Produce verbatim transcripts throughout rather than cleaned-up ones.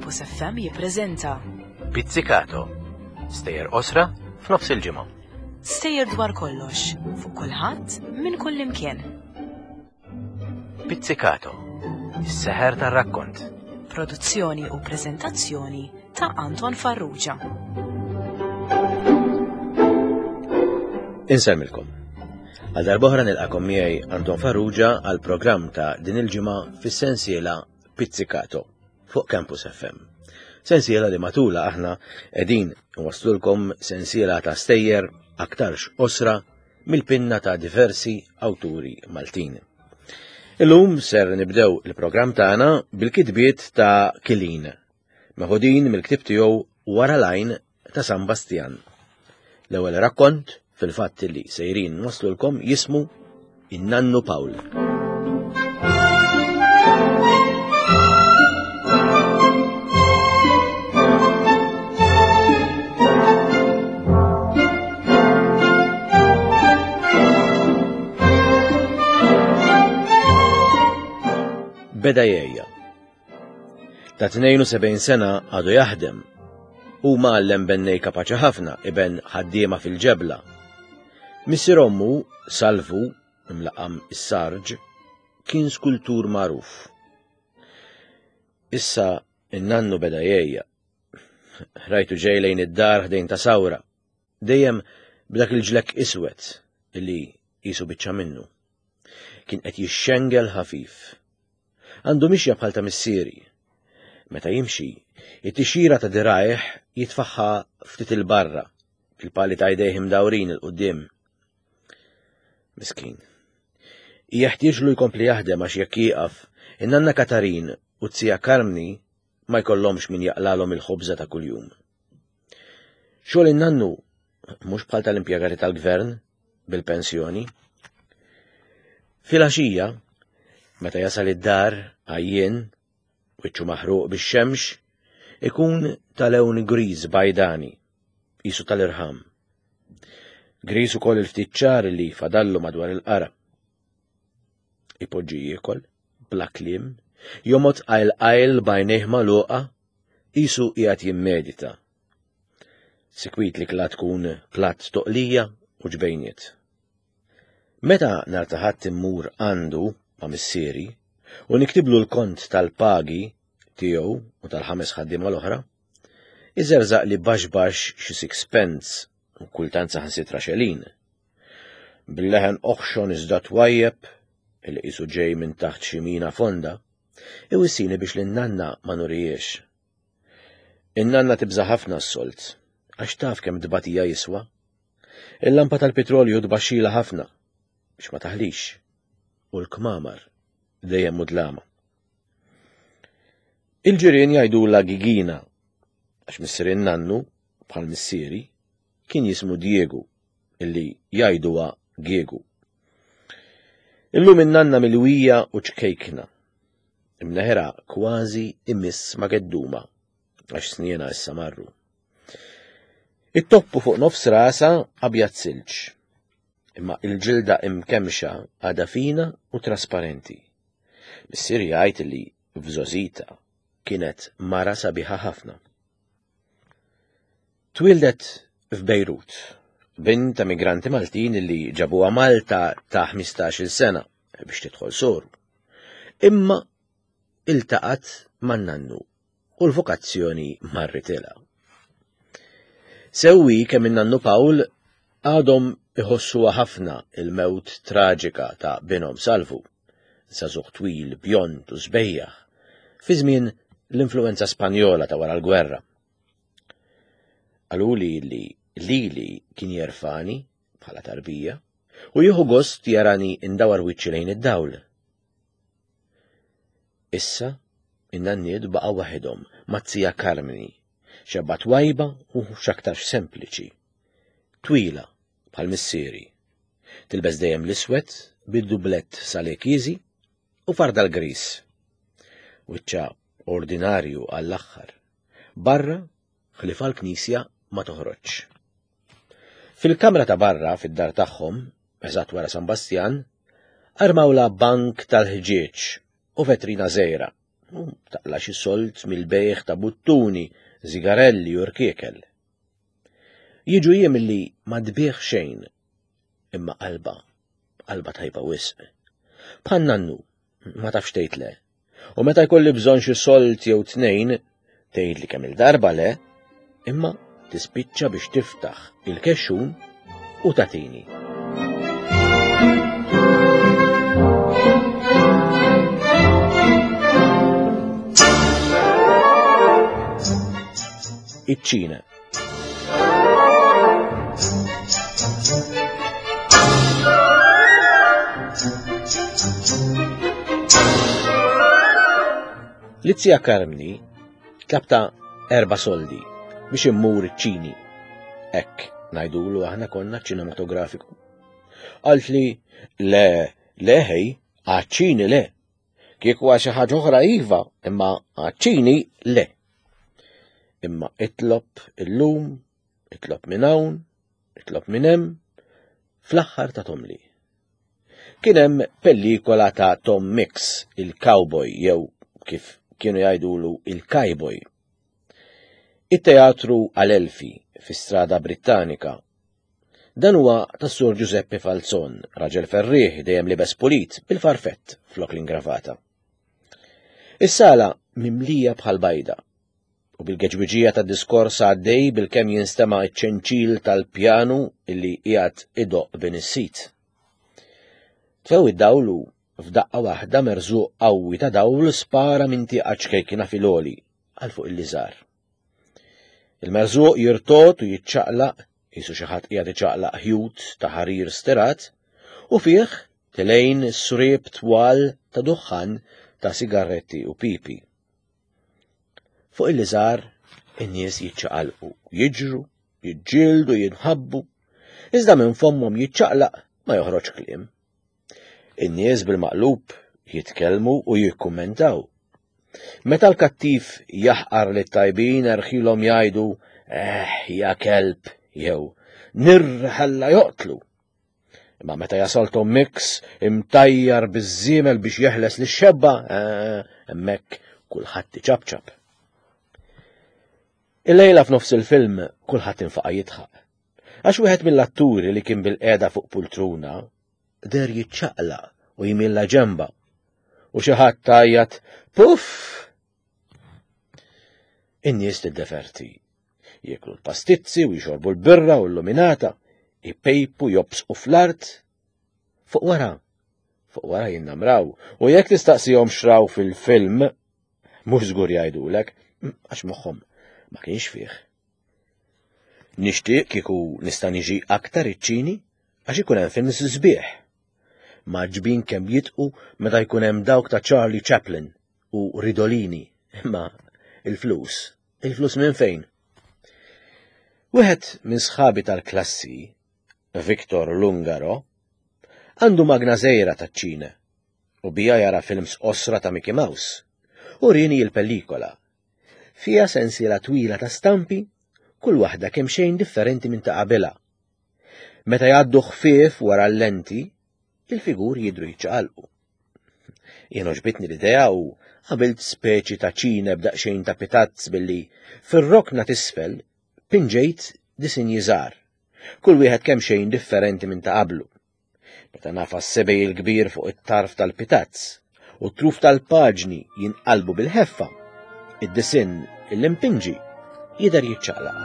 Campus F M jippreżenta Pizzicato, stejjer qosra f'nofs il-ġimgħa. Stejjer dwar kollox, fuq kulħadd minn kull imkien. Pizzicato, is-seħer tar-rakkont. Produzzjoni u preżentazzjoni ta' Anton Farrugia. Insellmilkom. Għal darb'oħra nilqakom miegħi Anton Farrugia għal programm ta' din il-ġimgħa fis-sensiela Pizzicato fuq Campus F M. Sensiela li matula aħna qegħdin nwaslulkom sensiela ta' stejjer aktarx qosra mill-pinna ta' diversi awturi Maltin. Illum ser nibdew il-programm tagħna bil-kitbiet ta' Kilin, meħudin mill-ktieb tiegħu Wara l-Għajn ta' San Bastian. L-ewwel rakkont fil-fatt li sejrin nwaslulkom jismu In-Nannu Pawl. Beda jgħejja. Ta' tnejn u sebgħin sena għadu jaħdem. Hu mgħallem bennej kapaċi ħafna, iben ħaddiema fil-ġebla. Missier ommu, Salvu, imlaqam is-Sarġ, kien skultur magħruf. Issa in-nannu beda jgħejja. Rajtu ġej lejn id-dar ħdejn ta' sawra, dejjem b'dak il-ġlekk iswed illi qisu biċċa minnu. Kien qed jixxengel ħafif. Għandu mixja bħal ta' missieri. Meta jimxi, it-tixira ta' dirajh jitfaħħa ftit il-barra, il-pali ta' jdejh imdawrin il-qudiem. Miskin. Jeħtieġlu jkompli jaħdem għax jekk jieqaf, in-nanna Katarin u t-tija Karmni ma jkollhomx min jaqlalhom il-ħobża ta' kuljum. Xogħol in-nannu mhux bħal tal-impjegati tal-gvern bil-pensjoni. Filgħaxija, meta jasal id-dar għajjien, wiċċu maħruq bix-xemx, ikun tal-lewn griż bajdani, qisu tal-irħam. Griż ukoll il-ftit ċar li fadallu madwar il-qara. Ipoġġi jiekol, bla kliem, jomgħod qajl qajl b'għajnejh magħluqa, qisu qiegħed jimmedita. Sikwit li kla tkun platt toqlija u ġbejniet. Meta nhar ta' Ħadd immur għandu ma' missieri u niktiblu l-kont tal-pagi tiegħu u tal-ħames ħaddiema l-oħra, iżerżaq li baxx baxx xi sixpence u kultant saħansitra xelin. Bil-leħen oħxon iżda twajjeb, illi qisu ġej minn taħt xi mina fonda, iwissini biex lin-nanna ma nurijiex. In-nanna tibża' ħafna s-solt, għax taf kemm tbatija jiswa. Il-lampa tal-petrolju tbaxxila ħafna biex ma taħlix, u l-kmamar dejjem mudlama. Il-ġirien jgħidulha Gigina, għax missier in-nannu, bħal missieri, kien jismu Diego, illi jgħiduha Giegu. Illum in-nanna milwija u ċkejkna, imneħra kważi imiss ma' gedduma, għax sniena issa marru. It-toppu fuq nofs rasa abjad silġ, imma il-ġilda imkemxa għadha fina u trasparenti. Missier jgħid li f'żożita kienet mara sabiħa ħafna. Twildet f'Bejrut, bint ta' migranti Maltin li ġabuha Malta ta' ħmistax-il sena biex tidħol soru. Imma iltaqat man-nannu u l-vokazzjoni marritilha. Sewwi kemm in-nannu Pawl għadhom iħossuha ħafna il-mewt traġika ta' binhom Salvu, żagħżugħ twil, bjond u sbejjaħ, fi żmien l-influenza Spanjola ta' wara l-gwerra. Qaluli li lili kien jerfani bħala tarbija u jieħu gost jarani indawar wiċċi lejn id-dawl. Issa in-nanniet baqgħu waħedhom mat-tija Karmni, xebba twajba u x'aktarx sempliċi, twila bħal missieri. Tilbes dejjem l-iswed bid-dublett salekiżi u farda l-gris. Wiċċa ordinarju għall-aħħar. Barra ħlifa l-knisja ma toħroġx. Fil-kamra ta' barra fid-dar tagħhom, eżatt wara San Bastian, armawla bank tal-ħġieġ u vetrina żgħira U taqla xi sold mill-bejgħ ta' buttuni, zigarelli u rkiekel. Jiġu jiem li ma tbigħ xejn, imma qalba, qalba tajba wisq. Bħal nannu, ma tafx tgħid le. U meta jkolli bżonn xi sold jew tnejn, tgħidli kemm il-darba le, imma tispiċċa biex tiftaħ il-kexxun u tagħtini. Iċ-Ċina. Lizzija Karmni tlabta erba' soldi biex immur iċ-Ċini. Hekk ngħidulu aħna konna ċinematografiku. Qalt li le, le ħej, għaċ-Ċini le. Kieku għal xi ħaġa oħra iva, imma għaċ-Ċini le. Imma itlob illum, itlob minn hawn, itlob minn hemm, fl-aħħar ta' tomli. Kien hemm pellikola ta' Tom Mix, il-cowboy jew kif kienu jgħidulu il-kajboj. It-teatru Adelphi fi Strada Brittanika. Dan huwa tas-Sur Giuseppe Falzon, raġel ferrieħ dejjem libes pulit bil-farfett flok l-ingravata. Is-sala mimlija bħal bajda u bil-geġwiġija ta' diskors għaddej bil-kemm jinstema' iċ-ċenċil tal-pjanu illi qiegħed idoq bin is-sit. Tfew id-dawlu f'daqqa waħda merżuq qawwi ta' dawl spara minn tieqa ċkejkina fil-għoli għal fuq il-liżar. Il-merżuq jirtot u jiċċaqlaq, qisu xi ħadd qiegħed iċaqlaq ħjut ta' ħarir stirat, u fih tilejn srieb twal ta' duħħan ta' sigaretti u pipi. Fuq il-liżar in-nies jiċċaqalqu, jiġru, jiġġieldu, jinħabbu, iżda minn fommhom jiċċaqlaq ma joħroġ kliem. In-nies bil-maqlub jitkellmu u jikkummentaw. Meta l-kattiv jaħqar lit-tajbin erħilhom jgħidu eh ja kelb jew nirħalla joqtlu. Imma meta jasal Tom Mix imtajjar biż-żiemel biex jeħles lix-xebba, eh, hemmhekk kulħadd iċapċap. Il-lejla f'nofs il-film kulħadd infaqa' jidħaq. Għax wieħed mill-atturi li kien bil-qiegħda fuq pultruna der jiċċaqlaq u jmilla ġemba. U xi ħadd tgħajjat puff! In-nies tiddeverti. Jieklu l-pastizzi u jxorbu l-birra u l-luminata, ipejpu jobsqu fl-art. Fuq wara, fuq wara jinnamraw, u jekk tistaqsihom xraw fil-film, mhux żgur jgħidulek, għax moħħhom ma kienx fih. Nixtieq kieku nista' niġi aktar iċ-Ċini għax ikun hemm films sbieħ. Maġbin kemm jitqu meta jkun hemm dawk ta' Charlie Chaplin u Ridolini, imma il-flus, il-flus minn fejn? Wieħed minn sħabi tal-klassi, Victor Lungaro, għandu magna żgħira taċ-Ċina u bija jara films qosra ta' Mickey Mouse u rini l-pellikola. Fija sensiela twila ta' stampi, kull waħda kemm xejn differenti minn ta' qabilha. Meta jgħaddu ħfief wara l-lenti, il-figuri jidhru jiċċaqalqu. Jien għoġbitni l-idea u għamilt speċi ta' ċine b'daqsxejn ta' pitazz billi fir-rokna t'isfel pinġejt disinji żgħar, kull wieħed kemm xejn differenti minn ta' qablu. Meta nafas sebej il-kbir fuq it-tarf tal-pitazz u t-truf tal-paġni jinqalbu bil-ħeffa, id-disinn il-impinġi jidher jiċċaqlaq.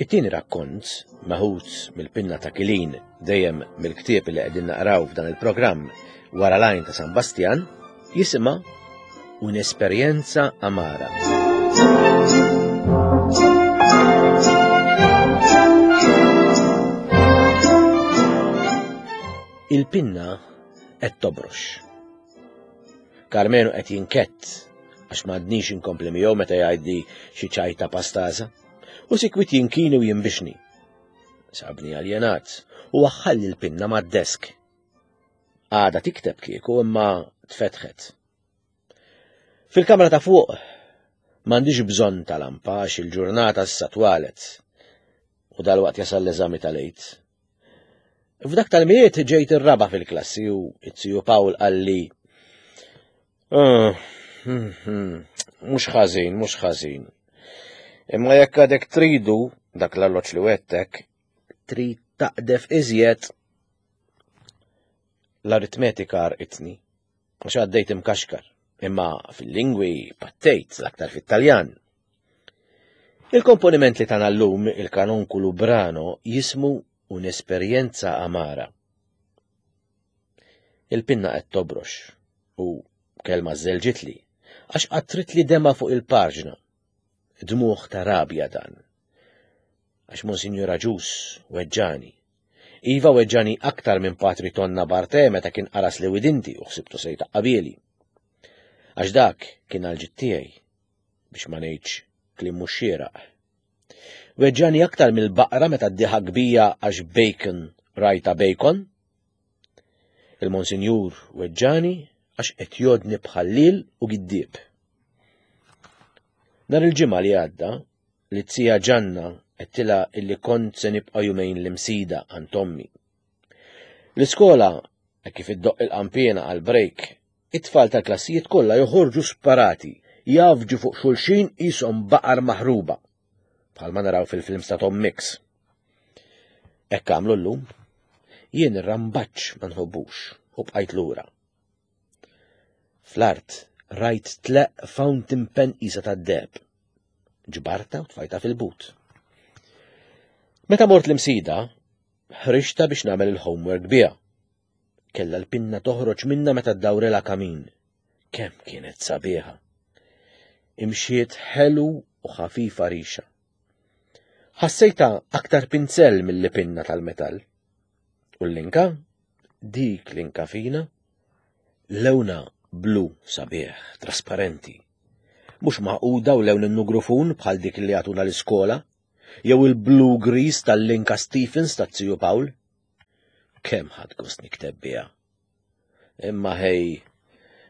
It-tieni rakkont, meħud mill-pinna ta' Kilin, dejjem mill-ktieb li qegħdin naqraw f'dan il-programm Wara l-Għajn ta' San Bastjan, jisimha Un'esperienza amara. Il-pinna qed tobrox. Karmenu qed jinkett għax m'għadnix inkompli miegħu meta jgħidli xi ċajta pastaża, u sikwit jinkini u jinbixni. Sabni aljenat u waħħalli l-pinna mad-desk. Għada tikteb kieku imma tfetħet. Fil-kamra ta' fuq m'għandix bżonn ta' lampa għax il-ġurnata issa twalet u dalwaqt jasal l-eżami tal-Għid. F'dak tal-Milied ġejt ir-raba' fil-klassi u it-ziju Pawl qalli ah, hmm, hmm, mhux ħażin, mhux ħażin. Imma jekk għadek tridu dak l-alloġġ li wettek, trid taqdef iżjed. L-aritmetika għarqitni, għax għaddejt imkaxkar, imma fil-lingwi pattejt l-aktar fit-Taljan. Il-komponiment li tana llum il-kanonku Lubrano jismu Un'esperienza amara. Il-pinna qed tobrox u kelma żelġitli għax qattritli dema fuq il-paġna. Dmuħ ta' rabja dan. Għax Monsinjur Agius weġġani. Iva weġġani aktar minn Patri Tonna Barte meta kien qaras li widinti u ħsibtu se jtaqqabieli. Għax dak kien għal tiegħi biex ma ngħidx kliem mhux xieraq. Weġġani aktar mill-baqra meta ddiħak bija għax bacon rajta bacon. Il-Monsinjur weġġani għax qed jodni bħallil u giddieb. Nhar il-ġimgħa li għadda, li t-tija Ġanna għedtilha illi kont se nibqa' jumejn l-Imsida għand ommi. L-iskola, kif iddoqq il-qanpiena għal-break, it-tfal tal-klassijiet kollha joħorġu sparati, jafġu fuq xulxin qishom baqar maħruba, bħalma naraw fil-films ta' Tom Mix. Hekk għamlu llum, jien ir-rambaċ ma nħobbux u bqajt lura. Fl-art rajt tleq fountain pen isa tad-deheb. Ġbarta u tfajta fil-but. Meta mort l-Imsida, ħriġta biex nagħmel il-homework biha. Kella l-pinna toħroġ minna meta ddawrela kamin. Kemm kienet sabiħa. Imxiet ħelu u ħafifa rixa. Ħassejta aktar pinzell mill pinna tal-metall. U l-linka? Dik linka fina? Lewna blu sabiħ, trasparenti. Mhux maquda u lewn in-nugrufun bħal dik li għatuna l-iskola, jew il-blu gris tal-linka Stephens tat-Ziju Pawl. Kemm ħadt gost nikteb biha. Imma ħej,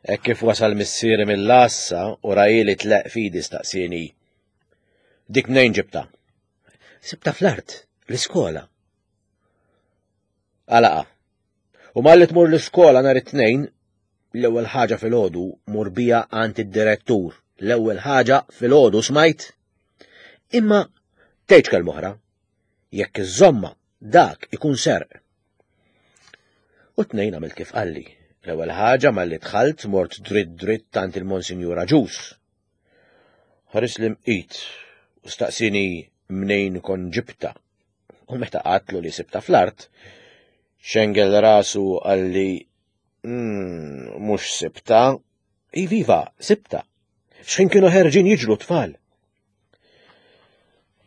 hekk kif wasal missieri mill-għassa u rajili tleq fidi staqsieni. Dik mnejn ġibta? Sibta fl-art, l-iskola. Għalaqa. U malli tmur l-iskola nhar it-tnejn, l-ewwel ħaġa filgħodu mur bija għand id-direttur. L-ewwel ħaġa filgħodu smajt. Imma tgħidx kelma oħra. Jekk iżomma dak ikun serq. U tnejn għamilt kif qalli. L-ewwel ħaġa malli dħalt mort dritt dritt għand il-Monsinjur Agius. Ħares li mqit u staqsini mnejn kon ġibta. U meta qatlu li sibta fl-art, xengel rasu qalli mm, mhux sibta. Iviva, sibta. X'ħin kienu ħerġin jiġru tfal.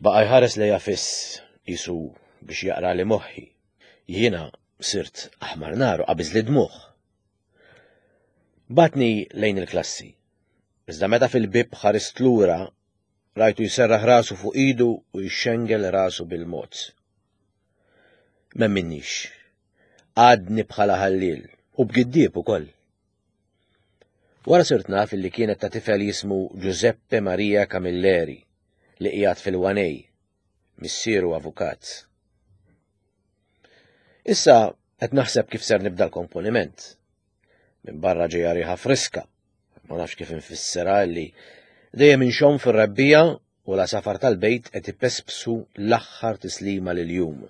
Baqa jħares lejja fiss jisu biex jaqra li moħħi. Jiena sirt aħmar naru qabiż li dmuħ. Batni lejn il-klassi. Iżda meta fil-bib ħarist lura, rajtu jserraħ rasu fuq idu u jxengel rasu bil-mod. M'emminnix. Għadni bħala ħallil u b'giddieb ukoll. Wara sirt naf li kienet ta' tifel jismu Giuseppe Maria Camilleri li qiegħed fil-Wanej, missieru avukat. Issa qed naħseb kif ser nibda l-komponiment. Minn barra ġejja riħa friska, ma nafx kif infissera li dejjem inxomm fir-rebbija u la safar tal-bejt qed ipespsu l-aħħar tislima lil-jum.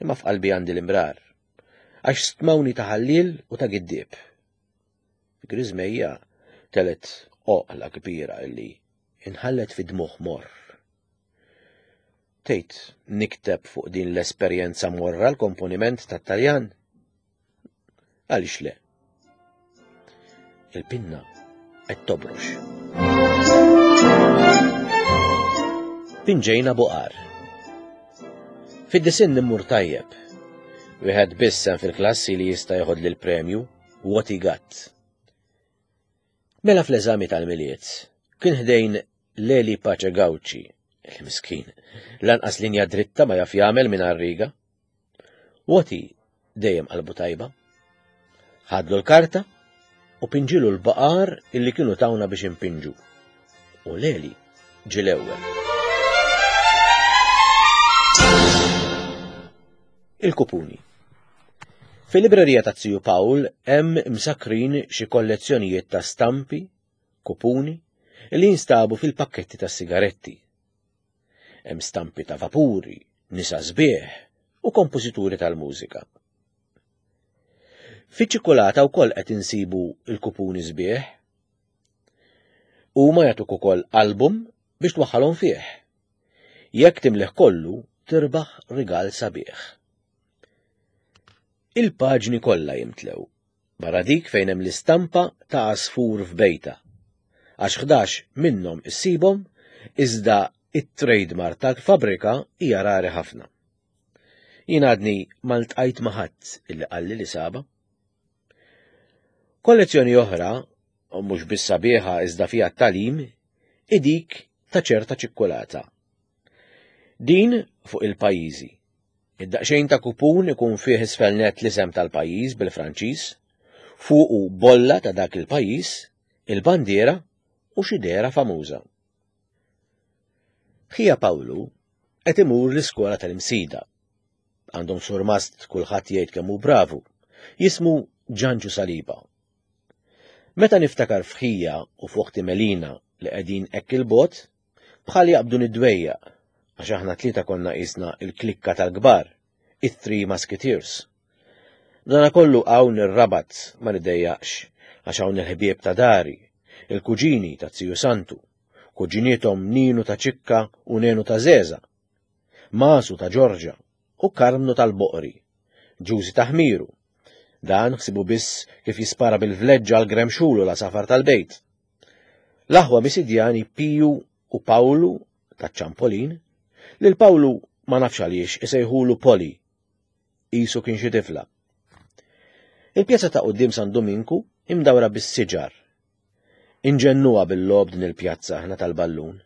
Imma f'qalbi għandi l-imrar, għax stmawni ta' ħallil u ta' giddieb. Griżmejja telet oqla kbira illi inħallet fi dmuħ morr. Tgħid nikteb fuq din l-esperjenza morra l-komponiment tat-Taljan? Għaliex le? Il-pinna qed tobrox. Pinġejna buqar. Fid-disinn immur tajjeb. Wieħed biss hemm fil-klassi li jista' jeħod lil premju, what he got. Mela fl-eżami tal-Milied, kien ħdejn Leli Pace Gauci, il-miskin, lanqas linja dritta ma jaf jagħmel minn riga. Woti dejjem qalbu tajba. Ħadlu l-karta u pinġilu l-baqar illi kienu tawna biex impinġu. U Leli ġie l-ewwel. Il-kupuni. Fil-librerija ta' Ziju Pawl hemm msakrin xi kollezzjonijiet ta' stampi, kupuni, li jinstabu fil-pakketti ta' sigaretti. Hemm stampi ta' vapuri, nisa sbieħ u kompożituri tal-mużika. Fiċ-ċikkulata wkoll qed insibu l-kupuni sbieħ. Huma jagħtuk ukoll album biex twaħħalhom fih. Jekk timlih kollu, tirbaħ rigal sabiħ. Il-paġni kollha jimtlew, barra dik fejn hemm l-istampa ta' għasfur f'bejta. Għax ħdax minnhom issibhom, iżda it-trademark tal-fabrika hija rari ħafna. Jien għadni ma ltqajt ma' ħadd illi qalli li saba. Kollezzjoni oħra, u mhux biss sabiħa iżda fiha t-tagħlim, hi dik ta' ċerta ċikkulata. Din fuq il-pajjiżi. Id-daqsxejn ta' kupun ikun fih isfel nett l-isem tal-pajjiż bil-Franċiż, fuqu bolla ta' dak il-pajjiż, il-bandiera u xi dehra famuża. Ħija Pawlu qed imur l-iskola tal-Imsida. Għandhom surmast kulħadd jgħid kemm hu bravu. Jismu Ġanġu Saliba. Meta niftakar f'ħija u f'oħti Melina li qegħdin hekk il-bogħod, bħal jaqbdu nid-dwejjaq, għax aħna tlieta konna qisna il-klikka tal-kbar, it-Three Musketeers. Dana kollu hawn ir-Rabat ma niddejjaqx, għax hawn il-ħbieb ta' dari, il-kuġini ta' Ziju Santu, kuġinietom Ninu ta' Ċikka u Nenu ta' Zeza, Masu ta' Ġorġa u Karmnu tal-Boqri, Ġużi ta' Ħmiru. Dan ħsibu biss kif jispara bil-vleġġa għal Gremxulu la safar tal-bejt. L-aħwa Misidjani Piju u Pawlu ta' Ċampolin, lil Pawlu ma nafx għaliex isejħulu Poli, qisu kien xi tifla. Il-pjazza ta' quddiem San Dominku imdawra bis-siġar. Inġennuha bil-logħob din il-pjazza aħna tal-ballun.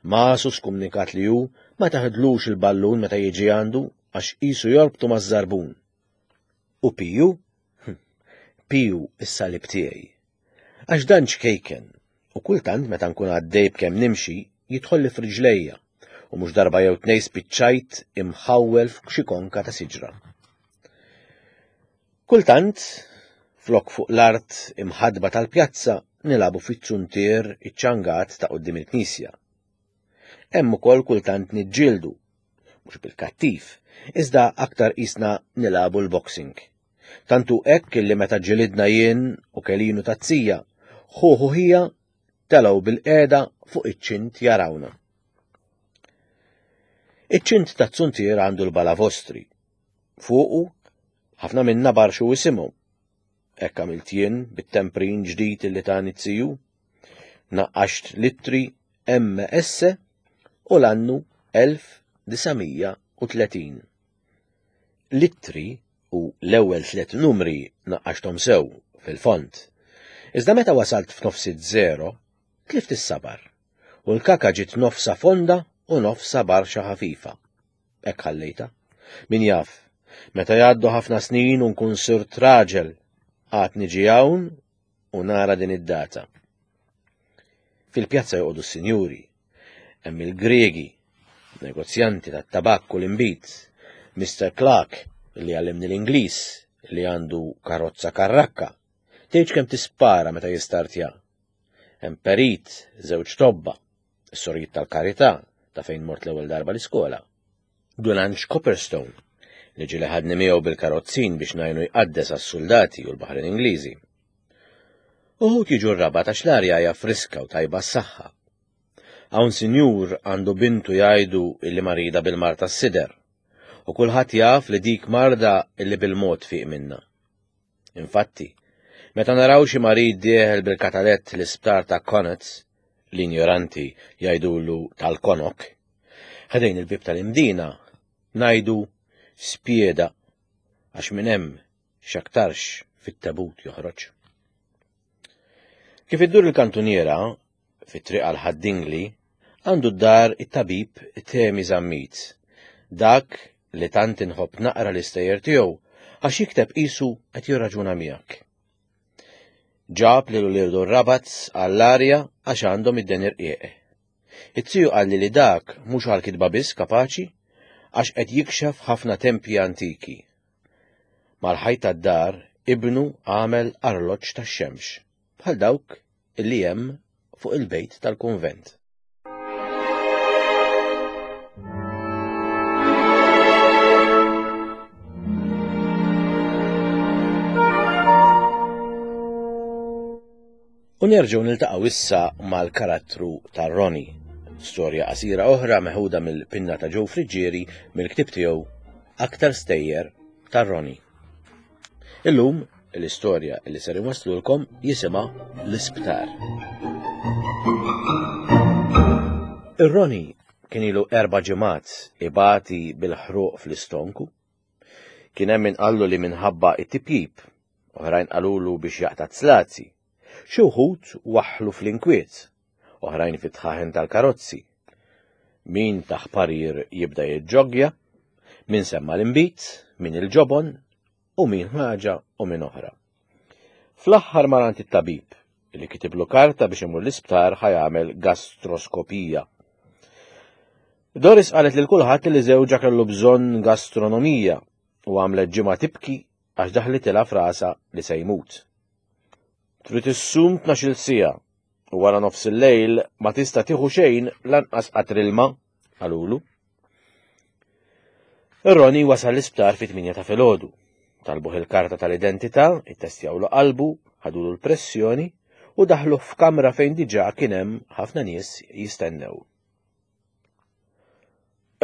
Masu skumnikat li hu ma taħdlux il-ballun meta jiġi għandu għax qisu jorbtu maż-żarbun. U Piju? Piju is-salib tiegħi. Għax dan ċkejken u kultant meta nkun għaddej b'kemm nimxi jidħolli f'riġlejja u mhux darba jew tnejn spiċċajt imħawwel f'xi konka ta' siġra. Kultant, flok fuq l-art imħadba tal-pjazza nilabu fit-zuntier iċ-ċangat ta' quddiem il-knisja. Hemm ukoll kultant niġġieldu, mhux bil-kattiv, iżda aktar qisna nilabu l-boxing. Tantu hekk illi meta ġilidna jien u Kelinu tazzija, ħuħu ħija telgħu bil-qiegħda fuq iċ-ċint jarawna. Iċ-ċint taz-zuntier għandu l-balavostri. Fuqu ħafna minna barxu isimhom. Hekk għamilt jien bit-temprin ġdid illi tani z-ziju. Naqqaxt littri M S u l-annu elf disa' u tletin. Littri u l-ewwel tliet numri naqqaxthom sew fil-font. Iżda meta wasalt f'nofs iż-żero, tlift is-sabar u l-kaka ġiet nofsa fonda u nofsa barxa ħafifa. Hekk ħallejta. Min jaf, meta jgħaddu ħafna snin u nkun sirt raġel, għad niġi hawn u nara din id-data. Fil-pjazza joqogħdu s-sinjuri, hemm il-Gregi, negozjanti tat-tabakk u l-imbit, Mister Clark li għallimni l-Ingliż li għandu karozza karrakka, tgħidx kemm tispara meta jistartja. Hemm perit, żewġ tobba, is-sorijiet tal-karità ta' fejn mort l-ewwel darba l-iskola. Dun Anġ Copperstone li ġieli ħadni miegħu bil-karozzin biex ngħinu jqaddes għas-soldati u l-Baħrin Ingliżi. Uħud jiġu r-Rabat għax l-arja hija friska u tajba s-saħħa. Hawn sinjur għandu bintu jgħidu illi marida bil-mar tas-sider, u kulħadd jaf li dik marda illi bil-mod fiq minna. Infatti, meta naraw xi marid dieħel bil-katalett l-isptar ta' Connaught, l-ignoranti jgħidulu tal-Konok, ħdejn il-bib tal-Imdina ngħidu spieda għax minn hemm x'aktarx fit-tabut joħroġ. Kif iddur il-kantuniera fit-triq għal Ħad-Dingli, għandu d-dar it-tabib Temi Zammit, dak li tant inħobb naqra l-istejjer tiegħu għax jikteb qisu qed jirraġuna miegħek. Ġab lil uliedu r-Rabat għall-arja għax għandhom id-deni rqiq. It-tiju qalli li dak mhux għall-kitba biss kapaċi għax qed jikxef ħafna tempji antiki. Mal-ħajt tad-dar ibnu għamel arloġġ tax-xemx bħal dawk illi hemm fuq il-bejt tal-kunvent. U nerġgħu niltaqgħu issa mal-karattru ta' Ronnie. Storja qasira oħra meħuda mill-pinna ta' Joe Friggieri mill-ktieb tiegħu Aktar Stejjer ta' Ronnie. Illum l-istorja li ser inwasslulkom jisimha L-Isptar. Ir-Ronnie kien ilu erba' ġimgħat ibati bil-ħruq fl-istonku. Kien hemm min qallu li minħabba it-tipjip, oħrajn qalulu biex jaqta' t-slazi. Xi wħud waħħlu fl-inkwiet, oħrajn fit-tħaħen tal-karozzi. Min taħ parir jibda jiġġoggja, min semma l-inbid, min il-ġobon, u min ħaġa u min oħra. Fl-aħħar mar għand it-tabib, li kitiblu karta biex imur l-isptar ħa jagħmel gastroskopija. Doris qalet lil kulħadd li żewġha kellu bżonn gastronomija u għamlet ġimgħa tibki għax daħlitilha f'rasha li se jmut. Trid issum tnax-il siegħa u wara nofs il-lejl ma tista' tieħu xejn lanqas qatr ilma, qalulu. Ir-Ronnie wasal l-isptar fit-tmienja ta' filgħodu. Talbuh il-karta tal-identità, ittestjawlu qalbu, ħadulu l-pressjoni u daħlu f'kamra fejn diġà kien hemm ħafna nies jistennew.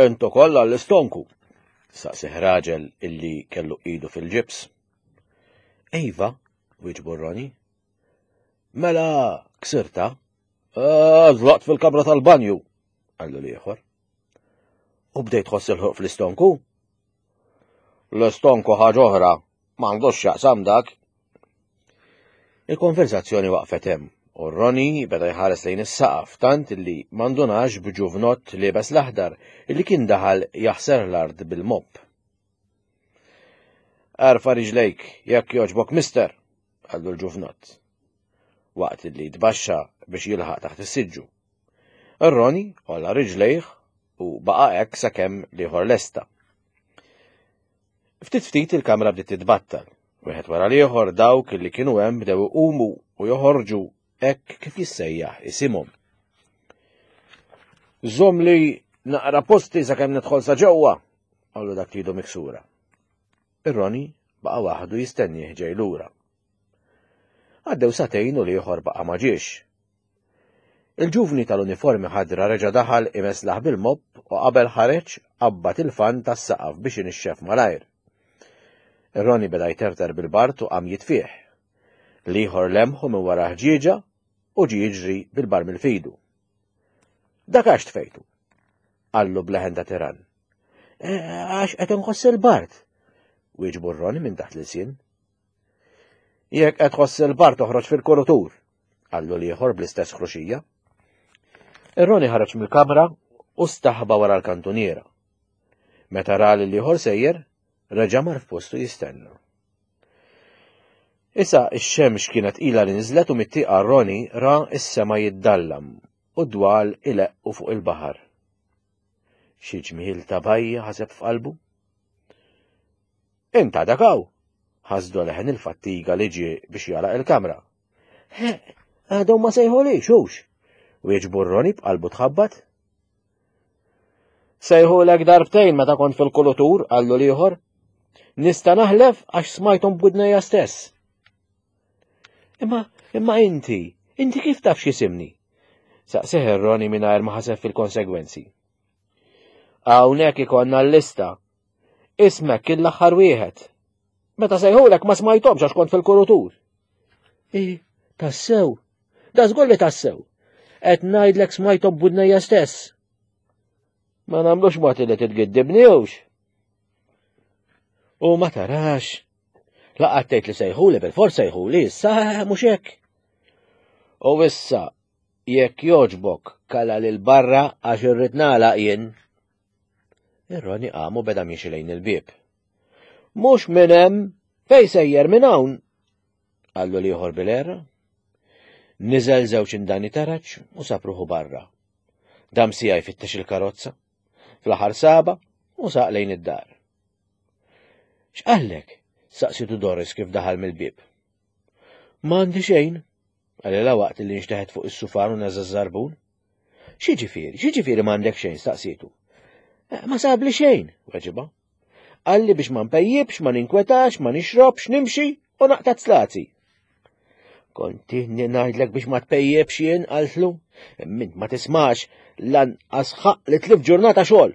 Int ukoll għall-istonku, saqsih raġel illi kellu idu fil-ġibs. Ejva, wieġbu Ronnie. Mela, ksirta? Żlaqt fil-kamra tal-banju, qallu l-ieħor. U bdejt tħoss il-ħruq fl-istonku? L-istonku ħaġa oħra, m'għandux x'jaqsam dak. Il-konverzazzjoni waqfet hemm u Ronnie beda jħares lejn is-saqaf tant illi m'għandunax b'ġuvnott liebes l-aħdar illi kien daħal jaħser l-art bil-mopp. Arfa riġlejk jekk jogħġbok mister, qallu l-ġuvnott, waqt li tbaxxa biex jilħaq taħt is-siġġu. Ir-Ronnie għolla riġlejh u baqa' hekk sakemm l-ieħor lesta. Ftit ftit il-kamra bdiet titbattal. Wieħed wara l-ieħor dawk li kienu hemm bdew iqumu u joħorġu hekk kif jissejjaħ isimhom. Żomm li naqra posti sakemm nidħol sa ġewwa, qallu dak li idu miksura. Ir-Ronnie baqa' waħdu jistennieh ġej lura. Għaddew sagħtejn u l-ieħor baqa' ma ġiex. Il-ġuvni tal-uniformi ħadra reġa' daħal imeslaħ bil-mopp u qabel ħareġ qabbad il-fan tas-saqaf biex inixxef malajr. Ir-Ronnie beda jterter bil-bart u qam jitfih. L-ieħor lemħu minn wara ħġieġa u ġie jiġri bil-bar mill-fidu. Dak għax tfejtu? Qallu b'leħen ta' tiran. Għax qed inħoss il-bart, wieġbu r-Ronnie minn taħt l-ilsien. Jekk qed tħoss il-bart toħroġ fil-kurutur, qallu l-ieħor bl-istess ħruxija. Ir-Ronnie ħareġ mill-kamra u staħba wara l-kantuniera. Meta ra li l-ieħor sejjer, reġa' mar f'postu jistenna. Issa x-xemx kienet ilha li niżlet u mit-tieqa Ronnie ra s-sema jiddallam u d-dwal ileqqu fuq il-baħar. Xi ġmiel ta' bajja ħaseb f'qalbu. Int għadek hawn, ħasdu leħen il-fattiga li ġie biex jagħlaq il-kamra. He, għadhom ma sejħulix hux, wieġbu Ronnie b'qalbu tħabbat. Sejħulek darbtejn meta kont fil-kulutur, qallu l-ieħor. Nista' naħlef għax smajthom b'widnejja stess. Imma, imma inti, inti kif taf x'isimni? Saqsih ir-Ronnie mingħajr ma ħaseb fil-konsegwenzi. Hawnhekk ikollna l-lista. Ismek kien l-aħħar wieħed. Meta sejħulek ma smajthomx għax kont fil-kurutur. I, tassew, da żgur li tassew. Qed ngħidlek smajthom b'widnejja stess. Ma nagħmlux mod li titgiddibni hux. U ma tarax. Laqgħet tgħid li sejħuli bil-fors sejħuli, issa mhux hekk. U issa jekk jogħġbok kala lil barra għax irrid nagħlaq jien. Ir-Ronnie qam u beda miexi lejn il-bieb. Mhux minn hemm, fejn sejjer minn hawn? Qallu l-ieħor bil-għerra. Niżel żewġ indani taraġ u sab ruħu barra. Dam siegħa jfittex il-karozza. Fl-aħħar saba u saq lejn id-dar. X'qallek? Saqsitu Doris kif daħal mill-bieb. M'għandi xejn, qalilha waqt li nxteħet fuq is-sufan u neża' żarbun. X'jiġifieri, x'jiġifieri m'għandek xejn, staqsietu. Eh, ma sabli xejn, weġibha. Qalli biex ma npejjibx, ma ninkwetax, ma nixrobx, nimxi u naqta' slazi. Kont ngħidlek biex ma tpejjibx jien, qaltlu. Mint ma tismax lanqas ħaq li tlif ġurnata xogħol.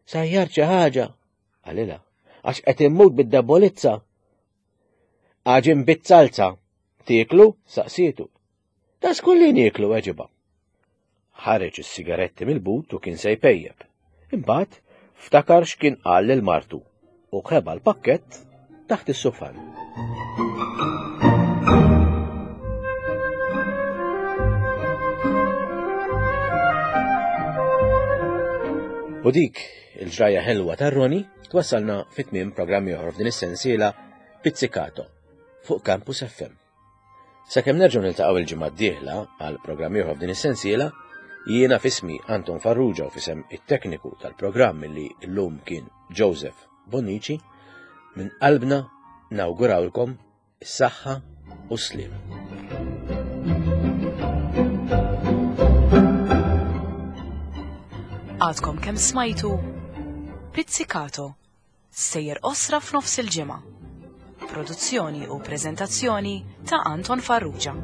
Sajjar xi ħaġa, qalilha, għax qed immut bid-debolizza. Għaġin bit-salza, tieklu, saqsietu. Ta' skulli nieklu, weġibha. Ħareġ is-sigaretti mill-but u kien se jpejjeb. Imbagħad ftakar x'kien qal lil martu u ħeba l-pakkett taħt is-sufan. U dik il-ġrajja ħelwa ta' Roni twassalna fit-tmiem programm ieħor f'din is-sensiela Pizzicato fuq Campus F M. Sakemm nerġgħu niltaqgħu il-ġimgħa d-dieħla għal programm ieħor f'din is-sensiela, jiena f'ismi Anton Farrugia u f'isem it-tekniku tal-programm li llum kien Joseph Bonnici, minn qalbna nawgurawlkom is-saħħa u s-sliem. Għadkom kemm smajtu Pizzicato, sejjer qosra f'nofs il-ġimgħa. Produzzjoni u preżentazzjoni ta' Anton Farrugia.